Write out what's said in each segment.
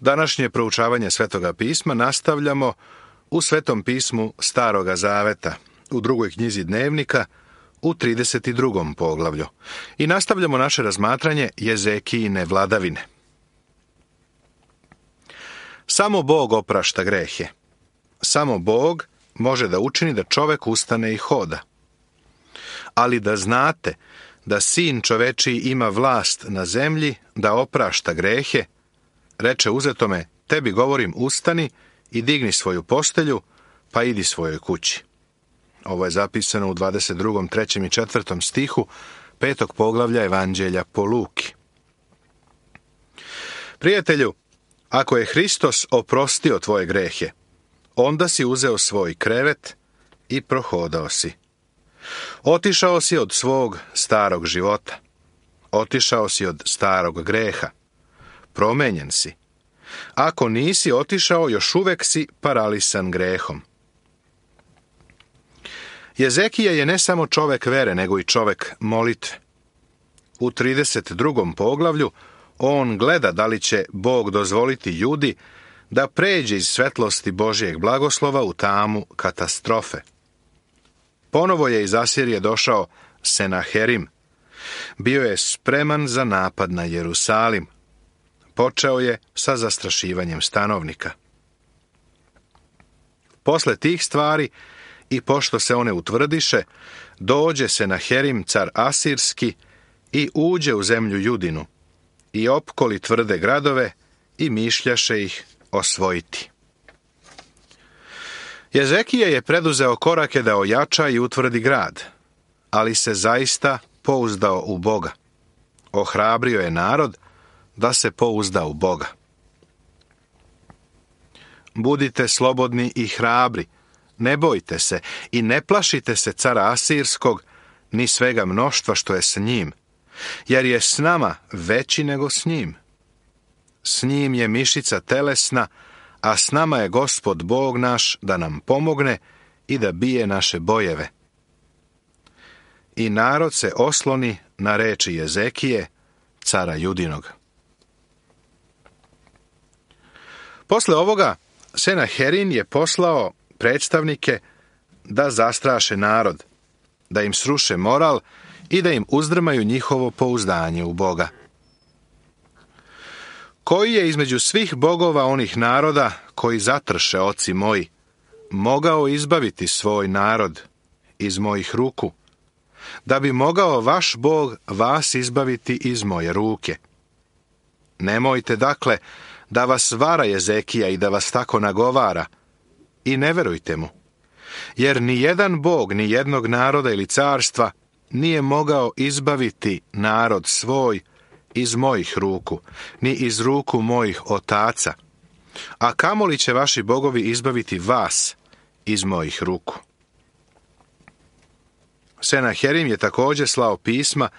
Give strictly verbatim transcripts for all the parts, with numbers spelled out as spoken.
Današnje proučavanje Svetoga pisma nastavljamo u Svetom pismu Staroga zaveta, u drugoj knjizi Dnevnika, u trideset drugom poglavlju. I nastavljamo naše razmatranje Jezekijine vladavine. Samo Bog oprašta grehe. Samo Bog može da učini da čovek ustane i hoda. Ali da znate da Sin čovečiji ima vlast na zemlji da oprašta grehe, reče uzetome, tebi govorim ustani i digni svoju postelju, pa idi svojoj kući. Ovo je zapisano u dvadeset drugom, trećem i četvrtom stihu petog poglavlja Evanđelja po Luki. Prijatelju, ako je Hristos oprostio tvoje grehe, onda si uzeo svoj krevet i prohodao si. Otišao si od svog starog života. Otišao si od starog greha. Promenjen si. Ako nisi otišao, još uvek si paralisan grehom. Jezekija je ne samo čovek vere, nego i čovek molitve. U trideset drugom poglavlju on gleda da li će Bog dozvoliti Judi da pređe iz svetlosti Božijeg blagoslova u tamu katastrofe. Ponovo je iz Asirije došao Senaherim. Bio je spreman za napad na Jerusalim. Počeo je sa zastrašivanjem stanovnika. Posle tih stvari, i pošto se one utvrdiše, dođe Senaherim, car Asirski, i uđe u zemlju Judinu, i opkoli tvrde gradove, i mišljaše ih osvojiti. Jezekija je preduzeo korake da ojača i utvrdi grad, ali se zaista pouzdao u Boga. Ohrabrio je narod da se pouzda u Boga. Budite slobodni i hrabri, ne bojte se i ne plašite se cara Asirskog, ni svega mnoštva što je s njim, jer je s nama veći nego s njim. S njim je mišica telesna, a s nama je Gospod Bog naš da nam pomogne i da bije naše bojeve. I narod se osloni na reči Jezekije, cara Judinog. Posle ovoga, Senaherim je poslao predstavnike da zastraše narod, da im sruše moral i da im uzdrmaju njihovo pouzdanje u Boga. Koji je između svih bogova onih naroda koji zatrše oci moji, mogao izbaviti svoj narod iz mojih ruku, da bi mogao vaš Bog vas izbaviti iz moje ruke? Nemojte dakle da vas vara Jezekija i da vas tako nagovara, i ne verujte mu, jer ni jedan Bog, ni jednog naroda ili carstva nije mogao izbaviti narod svoj iz mojih ruku, ni iz ruku mojih otaca, a kamoli će vaši bogovi izbaviti vas iz mojih ruku. Senaherim je također slao pisma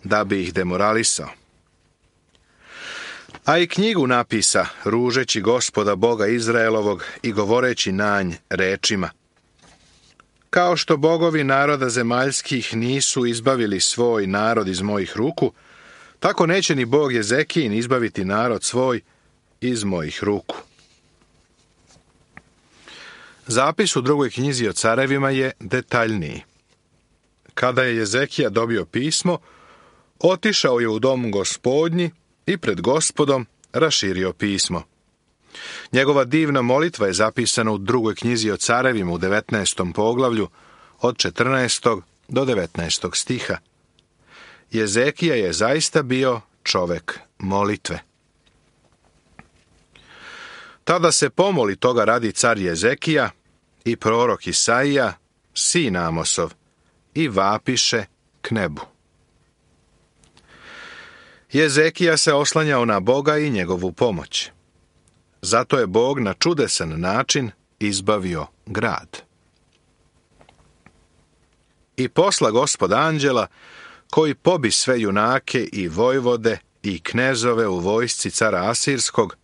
da bi ih demoralisao. A i knjigu napisa, ružeći Gospoda Boga Izraelovog i govoreći na nj rečima: kao što bogovi naroda zemaljskih nisu izbavili svoj narod iz mojih ruku, tako neće ni Bog Jezekijin izbaviti narod svoj iz mojih ruku. Zapis u drugoj knjizi o carevima je detaljniji. Kada je Jezekija dobio pismo, otišao je u dom Gospodnji i pred Gospodom raširio pismo. Njegova divna molitva je zapisana u drugoj knjizi o carevima u devetnaestom poglavlju od četrnaestog do devetnaestog stiha. Jezekija je zaista bio čovek molitve. Tada se pomoli toga radi car Jezekija i prorok Isaija, sin Amosov, i vapiše k nebu. Jezekija se oslanjao na Boga i njegovu pomoć. Zato je Bog na čudesan način izbavio grad. I posla Gospod anđela, koji pobi sve junake i vojvode i knezove u vojsci cara Asirskog,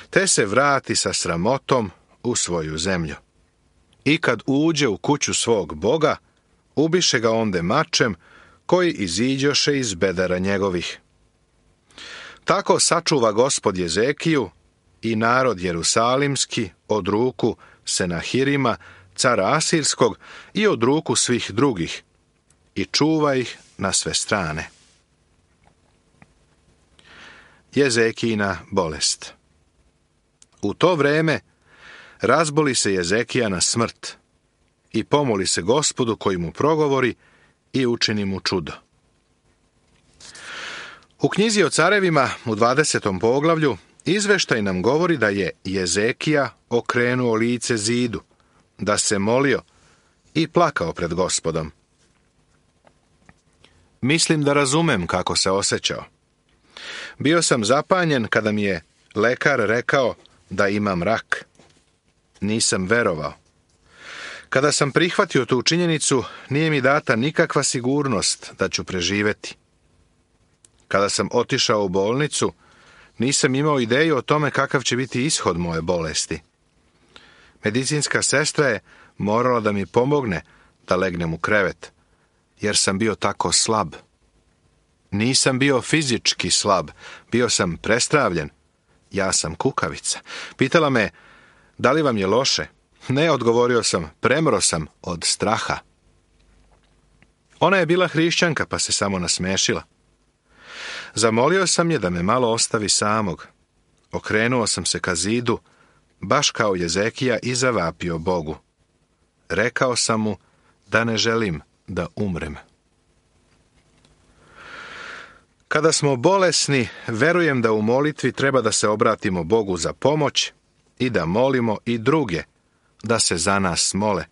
te se vrati sa sramotom u svoju zemlju. I kad uđe u kuću svog Boga, ubiše ga onde mačem, koji iziđoše iz bedara njegovih. Tako sačuva Gospod Jezekiju i narod jerusalimski od ruku Senahirima, cara Asirskog, i od ruku svih drugih, i čuva ih na sve strane. Jezekijina bolest. U to vreme razboli se Jezekija na smrt i pomoli se Gospodu koji mu progovori i učini mu čudo. U knjizi o carevima u dvadesetom poglavlju izveštaj nam govori da je Jezekija okrenuo lice zidu, da se molio i plakao pred Gospodom. Mislim da razumem kako se osjećao. Bio sam zapanjen kada mi je lekar rekao da imam rak. Nisam verovao. Kada sam prihvatio tu činjenicu, nije mi data nikakva sigurnost da ću preživjeti. Kada sam otišao u bolnicu, nisam imao ideju o tome kakav će biti ishod moje bolesti. Medicinska sestra je morala da mi pomogne da legnem u krevet, jer sam bio tako slab. Nisam bio fizički slab, bio sam prestravljen. Ja sam kukavica. Pitala me, da li vam je loše? Ne, odgovorio sam, premro sam od straha. Ona je bila hrišćanka, pa se samo nasmešila. Zamolio sam je da me malo ostavi samog. Okrenuo sam se ka zidu, baš kao Jezekija, i zavapio Bogu. Rekao sam mu da ne želim da umrem. Kada smo bolesni, verujem da u molitvi treba da se obratimo Bogu za pomoć i da molimo i druge da se za nas mole.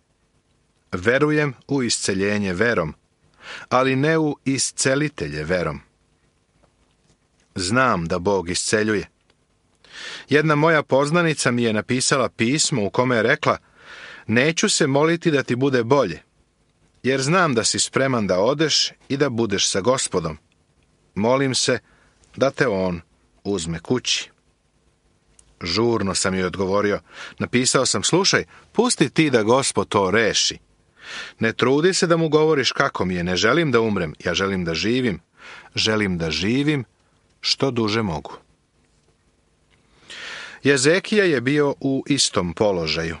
Verujem u isceljenje verom, ali ne u iscelitelje verom. Znam da Bog isceljuje. Jedna moja poznanica mi je napisala pismo u kome je rekla: neću se moliti da ti bude bolje, jer znam da si spreman da odeš i da budeš sa Gospodom. Molim se da te on uzme kući. Žurno sam joj odgovorio. Napisao sam: slušaj, pusti ti da Gospod to reši. Ne trudi se da mu govoriš kako mi je. Ne želim da umrem, ja želim da živim. Želim da živim što duže mogu. Jezekija je bio u istom položaju.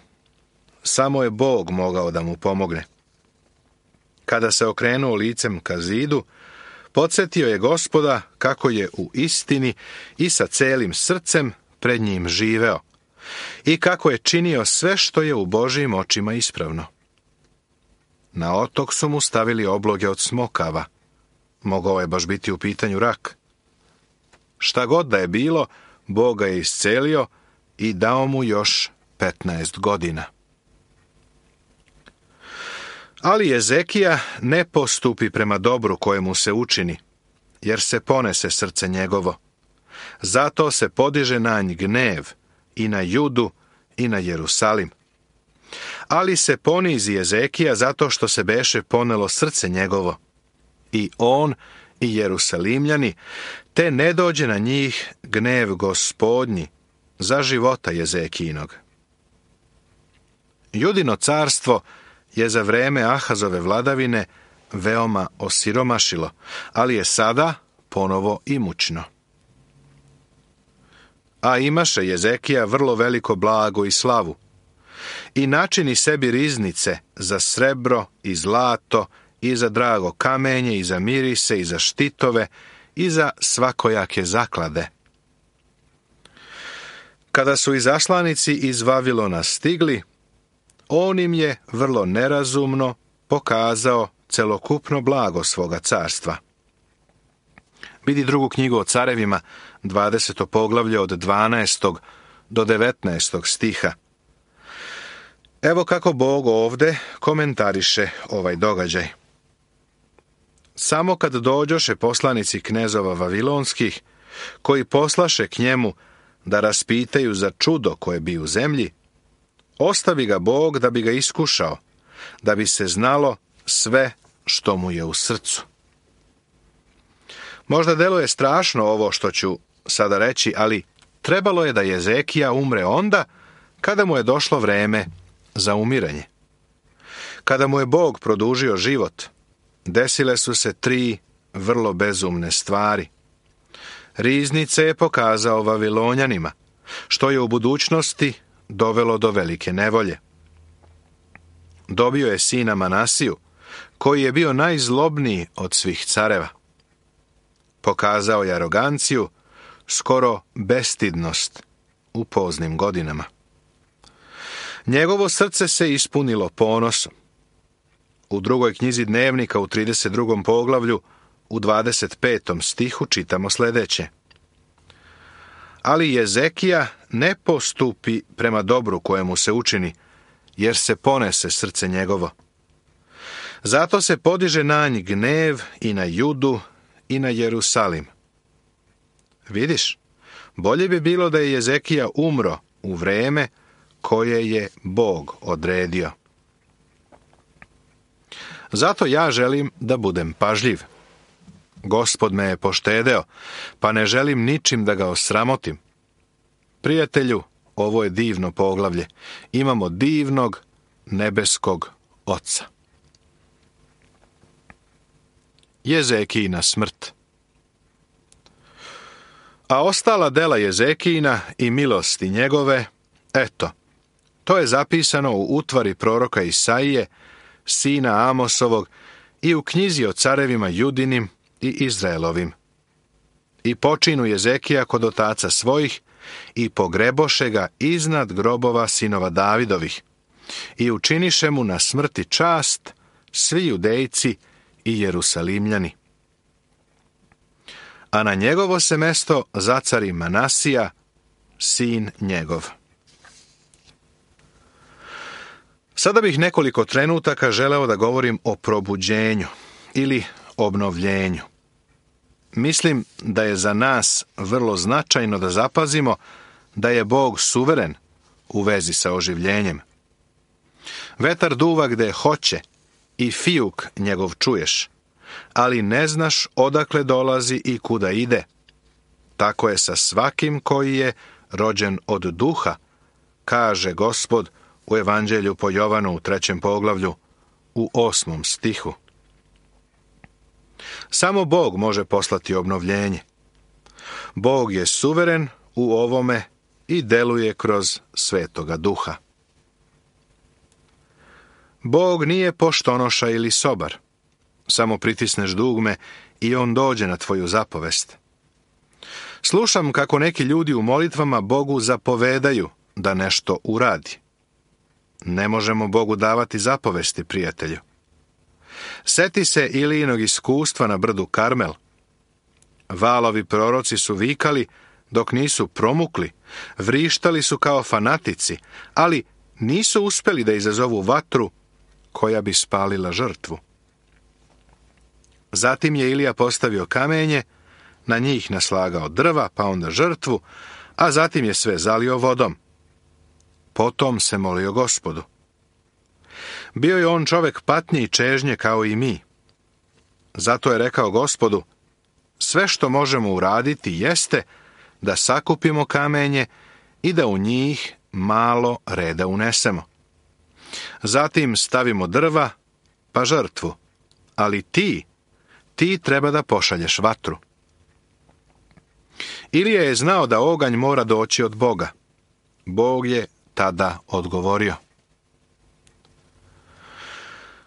Samo je Bog mogao da mu pomogne. Kada se okrenuo licem ka zidu, podsjetio je Gospoda kako je u istini i sa celim srcem pred njim živeo i kako je činio sve što je u Božjim očima ispravno. Na otok su mu stavili obloge od smokava. Mogao je baš biti u pitanju rak. Šta god da je bilo, Bog ga je iscelio i dao mu još petnaest godina. Ali Jezekija ne postupi prema dobru kojemu se učini, jer se ponese srce njegovo. Zato se podiže na nj gnev i na Judu i na Jerusalim. Ali se ponizi Jezekija zato što se beše ponelo srce njegovo. I on i Jerusalimljani, te ne dođe na njih gnev Gospodnji za života Jezekijinog. Judino carstvo je za vreme Ahazove vladavine veoma osiromašilo, ali je sada ponovo imućno. A imaše Jezekija vrlo veliko blago i slavu i načini sebi riznice za srebro i zlato i za drago kamenje i za mirise i za štitove i za svakojake zaklade. Kada su izaslanici iz Vavilona stigli, on im je vrlo nerazumno pokazao celokupno blago svoga carstva. Vidi drugu knjigu o carevima, dvadeseto poglavlje od dvanaestog do devetnaestog stiha. Evo kako Bog ovde komentariše ovaj događaj. Samo kad dođoše poslanici knezova vavilonskih, koji poslaše k njemu da raspitaju za čudo koje bi u zemlji, ostavi ga Bog da bi ga iskušao, da bi se znalo sve što mu je u srcu. Možda deluje strašno ovo što ću sada reći, ali trebalo je da Jezekija umre onda kada mu je došlo vreme za umiranje. Kada mu je Bog produžio život, desile su se tri vrlo bezumne stvari. Riznice je pokazao Vavilonjanima, što je u budućnosti dovelo do velike nevolje. Dobio je sina Manasiju, koji je bio najzlobniji od svih careva. Pokazao je aroganciju, skoro bestidnost u poznim godinama. Njegovo srce se ispunilo ponosom. U drugoj knjizi Dnevnika u trideset drugom poglavlju u dvadeset petom stihu čitamo sljedeće. Ali Jezekija ne postupi prema dobru kojemu se učini, jer se ponese srce njegovo. Zato se podiže na nj gnev i na Judu i na Jerusalim. Vidiš, bolje bi bilo da je Jezekija umro u vreme koje je Bog odredio. Zato ja želim da budem pažljiv. Gospod me je poštedeo, pa ne želim ničim da ga osramotim. Prijatelju, ovo je divno poglavlje. Imamo divnog nebeskog Oca. Jezekijina smrt. A ostala dela Jezekijina i milosti njegove, eto, to je zapisano u utvari proroka Isaije, sina Amosovog, i u knjizi o carevima Judinim i Izraelovim. I počinu Jezekija kod otaca svojih i pogreboše ga iznad grobova sinova Davidovih i učiniše mu na smrti čast svi Judejci i Jerusalimljani. A na njegovo se mesto zacari Manasija, sin njegov. Sada bih nekoliko trenutaka želeo da govorim o probuđenju ili obnovljenju. Mislim da je za nas vrlo značajno da zapazimo da je Bog suveren u vezi sa oživljenjem. Vetar duva gde hoće i fijuk njegov čuješ, ali ne znaš odakle dolazi i kuda ide. Tako je sa svakim koji je rođen od duha, kaže Gospod u Evanđelju po Jovanu u trećem poglavlju u osmom stihu. Samo Bog može poslati obnovljenje. Bog je suveren u ovome i deluje kroz Svetoga Duha. Bog nije poštonoša ili sobar. Samo pritisneš dugme i on dođe na tvoju zapovest. Slušam kako neki ljudi u molitvama Bogu zapovedaju da nešto uradi. Ne možemo Bogu davati zapovesti, prijatelju. Seti se Ilijinog iskustva na brdu Karmel. Valovi proroci su vikali dok nisu promukli, vrištali su kao fanatici, ali nisu uspeli da izazovu vatru koja bi spalila žrtvu. Zatim je Ilija postavio kamenje, na njih naslagao drva, pa onda žrtvu, a zatim je sve zalio vodom. Potom se molio Gospodu. Bio je on čovek patnje i čežnje kao i mi. Zato je rekao Gospodu, sve što možemo uraditi jeste da sakupimo kamenje i da u njih malo reda unesemo. Zatim stavimo drva, pa žrtvu, ali ti, ti treba da pošalješ vatru. Ilija je znao da oganj mora doći od Boga. Bog je tada odgovorio.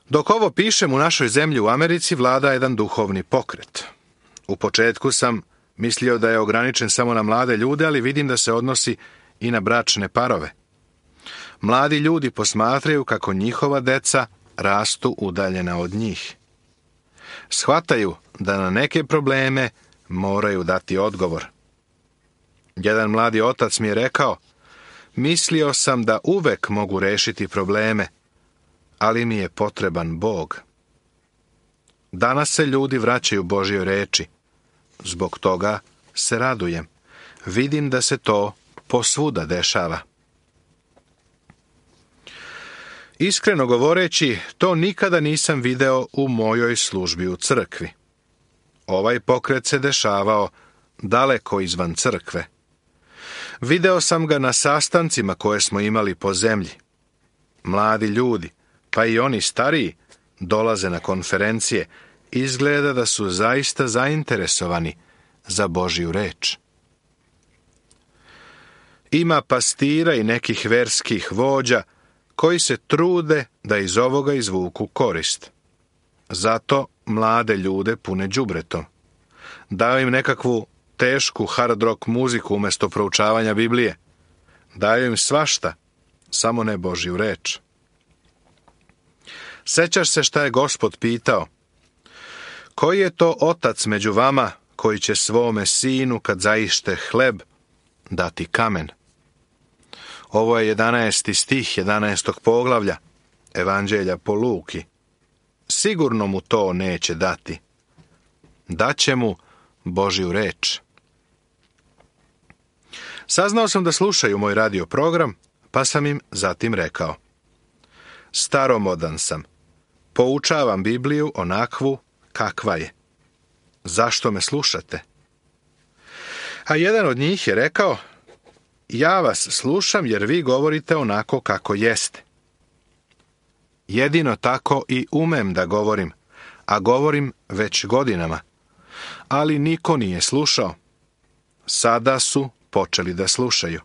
Dok ovo pišem, u našoj zemlji u Americi vlada jedan duhovni pokret. U početku sam mislio da je ograničen samo na mlade ljude, ali vidim da se odnosi i na bračne parove. Mladi ljudi posmatraju kako njihova deca rastu udaljena od njih. Shvataju da na neke probleme moraju dati odgovor. Jedan mladi otac mi je rekao, mislio sam da uvek mogu rešiti probleme, ali mi je potreban Bog. Danas se ljudi vraćaju Božjoj reči. Zbog toga se radujem. Vidim da se to posvuda dešava. Iskreno govoreći, to nikada nisam video u mojoj službi u crkvi. Ovaj pokret se dešavao daleko izvan crkve. Video sam ga na sastancima koje smo imali po zemlji. Mladi ljudi, pa i oni stariji, dolaze na konferencije. Izgleda da su zaista zainteresovani za Božju reč. Ima pastira i nekih verskih vođa koji se trude da iz ovoga izvuku korist. Zato mlade ljude pune đubretom. Daju im nekakvu tešku hard rock muziku umjesto proučavanja Biblije. Daju im svašta, samo ne Božju reč. Sećaš se šta je Gospod pitao? Koji je to otac među vama koji će svome sinu, kad zaište hleb, dati kamen? Ovo je jedanaesti stih jedanaestog poglavlja Evanđelja po Luki. Sigurno mu to neće dati. Daće mu Božju reč. Saznao sam da slušaju moj radio program, pa sam im zatim rekao: staromodan sam, poučavam Bibliju onakvu kakva je. Zašto me slušate? A jedan od njih je rekao: ja vas slušam jer vi govorite onako kako jeste. Jedino tako i umem da govorim, a govorim već godinama. Ali niko nije slušao. Sada su počeli da slušaju.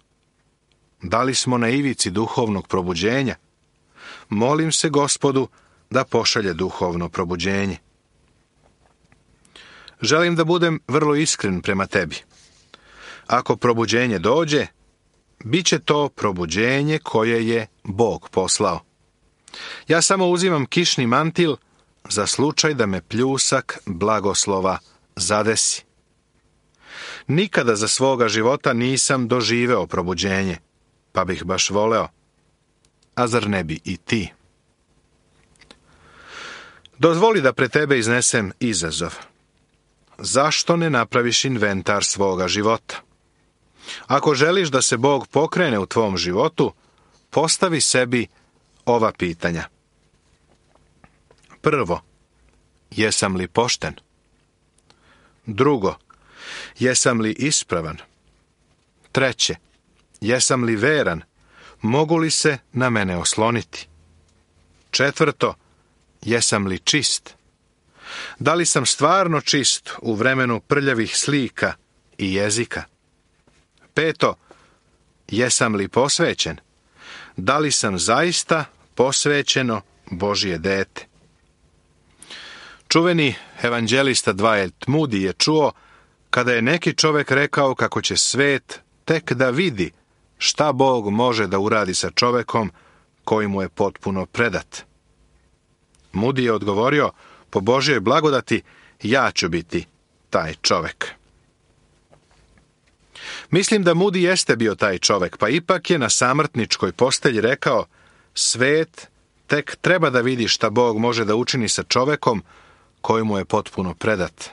Da li smo na ivici duhovnog probuđenja? Molim se Gospodu da pošalje duhovno probuđenje. Želim da budem vrlo iskren prema tebi. Ako probuđenje dođe, bit će to probuđenje koje je Bog poslao. Ja samo uzimam kišni mantil za slučaj da me pljusak blagoslova zadesi. Nikada za svoga života nisam doživeo probuđenje, pa bih baš voleo. A zar ne bi i ti? Dozvoli da pred tebe iznesem izazov. Zašto ne napraviš inventar svoga života? Ako želiš da se Bog pokrene u tvom životu, postavi sebi ova pitanja. Prvo, jesam li pošten? Drugo, jesam li ispravan? Treće, jesam li veran? Mogu li se na mene osloniti? Četvrto, jesam li čist? Da li sam stvarno čist u vremenu prljavih slika i jezika? Peto, jesam li posvećen? Da li sam zaista posvećeno Božje dete? Čuveni evanđelista Dwight Moody je čuo kada je neki čovjek rekao kako će svet tek da vidi šta Bog može da uradi sa čovjekom koji mu je potpuno predat. Moody je odgovorio: po Božjoj blagodati ja ću biti taj čovjek. Mislim da Moody jeste bio taj čovjek, pa ipak je na samrtničkoj postelji rekao: svet tek treba da vidi šta Bog može da učini sa čovjekom koji mu je potpuno predat.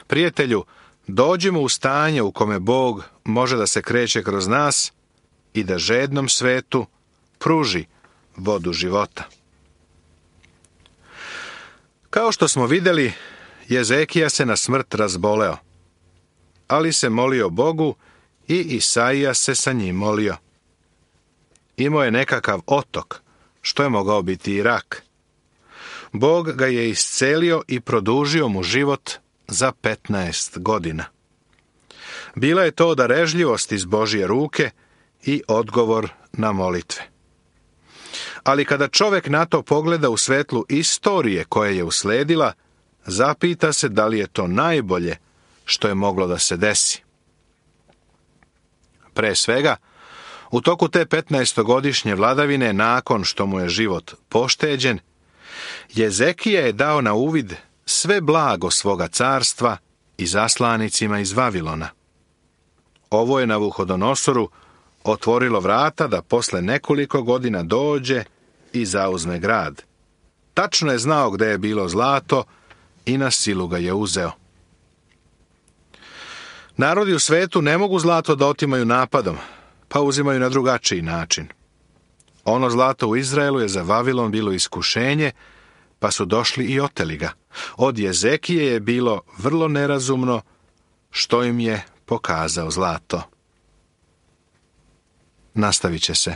Prijatelju, dođimo u stanje u kome Bog može da se kreće kroz nas i da žednom svetu pruži vodu života. Kao što smo vidjeli, Jezekija se na smrt razboleo, ali se molio Bogu i Isaija se sa njim molio. Imao je nekakav otok, što je mogao biti i rak. Bog ga je iscelio i produžio mu život za petnaest godina. Bila je to darežljivost iz Božje ruke i odgovor na molitve. Ali kada čovjek na to pogleda u svetlu istorije koja je usledila, zapita se da li je to najbolje što je moglo da se desi. Pre svega, u toku te petnaestogodišnje vladavine, nakon što mu je život pošteđen, Jezekija je dao na uvid sve blago svoga carstva i zaslanicima iz Vavilona. Ovo je Navuhodonosoru otvorilo vrata da posle nekoliko godina dođe i zauzme grad. Tačno je znao gde je bilo zlato i na silu ga je uzeo. Narodi u svetu ne mogu zlato da otimaju napadom, pa uzimaju na drugačiji način. Ono zlato u Izraelu je za Vavilon bilo iskušenje, pa su došli i oteli ga. Od Jezekije je bilo vrlo nerazumno što im je pokazao zlato. Nastavit će se.